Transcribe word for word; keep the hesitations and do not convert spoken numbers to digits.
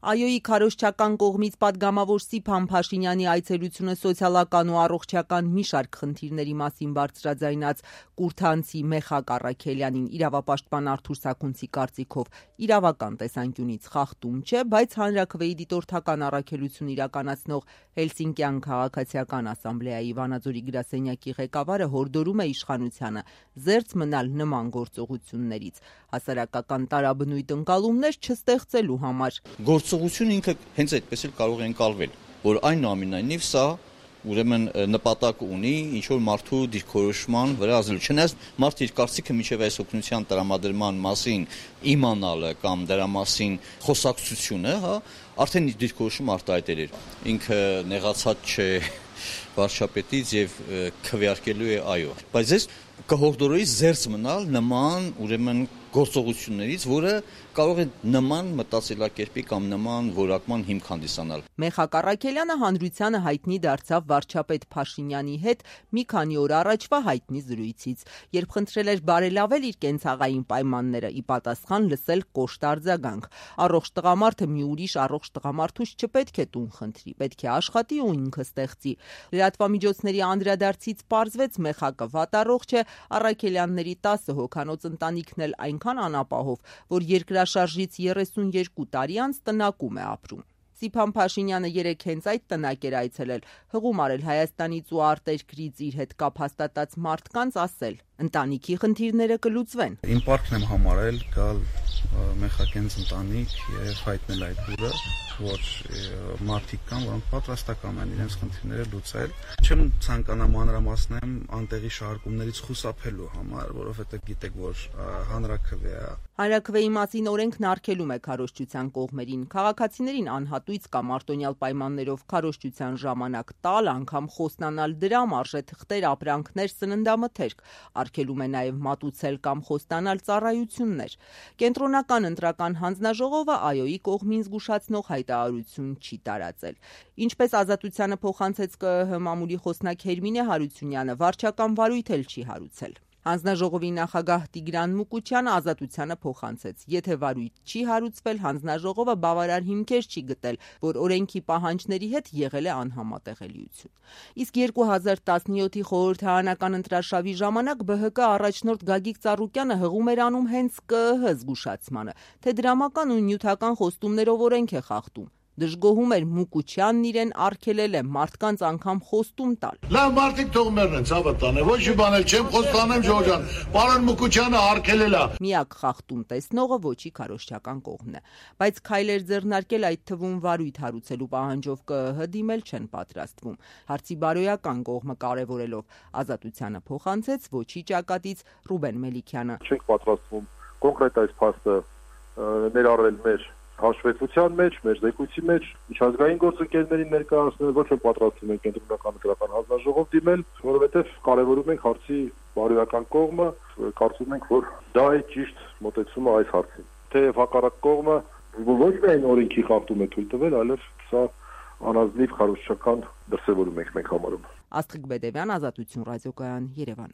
ԱՅՈ-ի քարոզչական կողմից պատգամավոր Սիփան Փաշինյանի այցելությունը սոցիալական ու առողջական մի շարք խնդիրների մասին բարձրաձայնած Կուրթանցի Մեխակ Առաքելյանին իրավապաշտպան Արթուր Սաքունցի կարծիքով իրավական տեսանկյունից խախտում չէ, բայց հանրաքվեի դիտորդական առաքելություն իրականացնող Հելսինկյան քաղաքացիական ասամբլեայի Վանաձորի գրասենյակի ղեկավարը հորդորում է իշխանությանը զերծ մնալ նման գործողություններից, հասարակական տարաբնույթ ընկալումներ չստեղծելու համար։ Գործողությունը ինքը հենց այդպես էլ կարող է ընկալվել, որ այնուամենայնիվ սա ուրեմն նպատակ ունի ինչ-որ մարդու դիրքորոշման վրա ազդել։ Չնայած մարդը իր կարծիքը մինչև այս օգնության տրամադրման մասին իմանալը կամ դրա մասին խոսակցությունը, հա, արդեն իր դիրքորոշումը արտահայտել էր։ Ինքը նեղացած չէ վարչապետից եւ քվեարկելու է այո։ Բայց ես կհորդորեի զերծ մնալ նման ուրեմն գործողություններից, որը կարող է նման մտածելակերպի կամ նման որակման հիմք հանդիսանալ։ Մեխակ Առաքելյանը հանրությանը հայտնի դարձավ վարչապետ Փաշինյանի հետ մի քանի օր առաջվա հայտնի զրույցից, երբ խնդրել էր բարելավել իր կենցաղային պայմանները, ի պատասխան լսել կոշտ արձագանք։ Առողջ տղամարդը մի ուրիշ առողջ տղամարդուց չպետք է տուն խնդրի, պետք է աշխատի ու ինքը ստեղծի։ Լրատվամիջոցների անդրադարձից պարզվեց Մեխակը վատառողջ է, Առաքելյանների տասը հոգանոց ընտանիքն էլ այնքան անապահով, որ երկրաշարժից երեսունյերկու տարի անց տնակում է ապրում։ Սիփան Փաշինյանը երեկ հենց այդ տնակ էր այցելել, հղում արել Հայաստանից ու արտերկրից իր հետ կապ հաստատած մարդկանց, ասել. ընտանիքի խնդիրները կլուծվեն։ Իմ պարտքն եմ համարել գալ Մեխակենց ընտանիք եւ հայտնել այդ բուրը, որ մարդիկ կան, որոնք պատրաստական են իրենց խնդիրները լուծել։ Չեմ ցանկանա մանրամասնեմ անտեղի շահարկումներից խուսափելու համար, որովհետեւ գիտեք, որ հանրաքվե է։ Հանրաքվեի մասին օրենքն արգելում է քարոզչության կողմերին քաղաքացիներին անհատույց կամ արտոնյալ պայմաններով քարոզչության ժամանակ տալ, անգամ խոստանալ դրամ, արժեթղթեր, ապրանքներ, սննդամթերք, արգելում է նաև մատուցել կամ խոստանալ ծառայություններ։ Կենտրոնական ընտրական հանձնաժողովը ԱՅՈ-ի կողմին զգուշացնող հայտարարություն չի տարածել։ Ինչպես Ազատությանը փոխանցեց ԿԸՀ մամուլի խոսնակ Հերմինե Հարությունյանը, վարչական վարույթ էլ չի հարուցել։ Հանձնաժողովի նախագահ Տիգրան Մուկուչյանը Ազատությանը փոխանցեց. եթե վարույթ չի հարուցվել, հանձնաժողովը բավարար հիմքեր չի գտել, որ օրենքի պահանջների հետ եղել է անհամատեղելիություն։ Իսկ երկու հազար տասնյոթի խորհրդարանական ընտրարշավի ժամանակ ԲՀԿ առաջնորդ Գագիկ Ծառուկյանը հղում էր անում հենց ԿԸՀ զգուշացմանը, թե դրամական ու նյութական խոստումներով օրենք է խախտում։ Դժգոհում էր Մուկուչյանն իրեն արգելել է մարդկանց անգամ խոստում տալ։ Լավ մարդիկ թող մեռնեն, ցավը տանե, ոչ մի բան էլ չեմ խոստանեմ Ժողովրդան։ Պարոն Մուկուչյանը արգելել է։ Միակ խախտում տեսնողը ոչի քարոզչական կողմն է, բայց քայլեր ձեռնարկել այդ թվում վարույթ հարուցելու պահանջով ԿԸՀ դիմել չեն պատրաստվում։ Հարցի բարոյական կողմը կարևորելով Ազատությանը փոխանցեց ոչի ճակատից Ռուբեն Մելիքյանը։ Չենք պատրաստվում կոնկրետ այս փաստը ներառել մեր հաշվետվության մեջ, մեր զեկույցի մեջ, միջազգային գործընկերներին ներկայացնել, ոչ թե պատրաստվում ենք կենտրոնական ընտրական հանձնաժողով դիմել, որովհետև կարևորում ենք հարցի բարոյական կողմը, կարծում ենք, որ դա է ճիշտ մոտեցումը այս հարցին։ Թեև հակառակ կողմը ոչ միայն օրենքի խախտում է թույլ տվել, այլև սա անազնիվ քարոզչական դրսևորում ենք մենք համարում։ Աստղիկ Բեդևյան, Ազատություն ռադիոկայան, Երևան։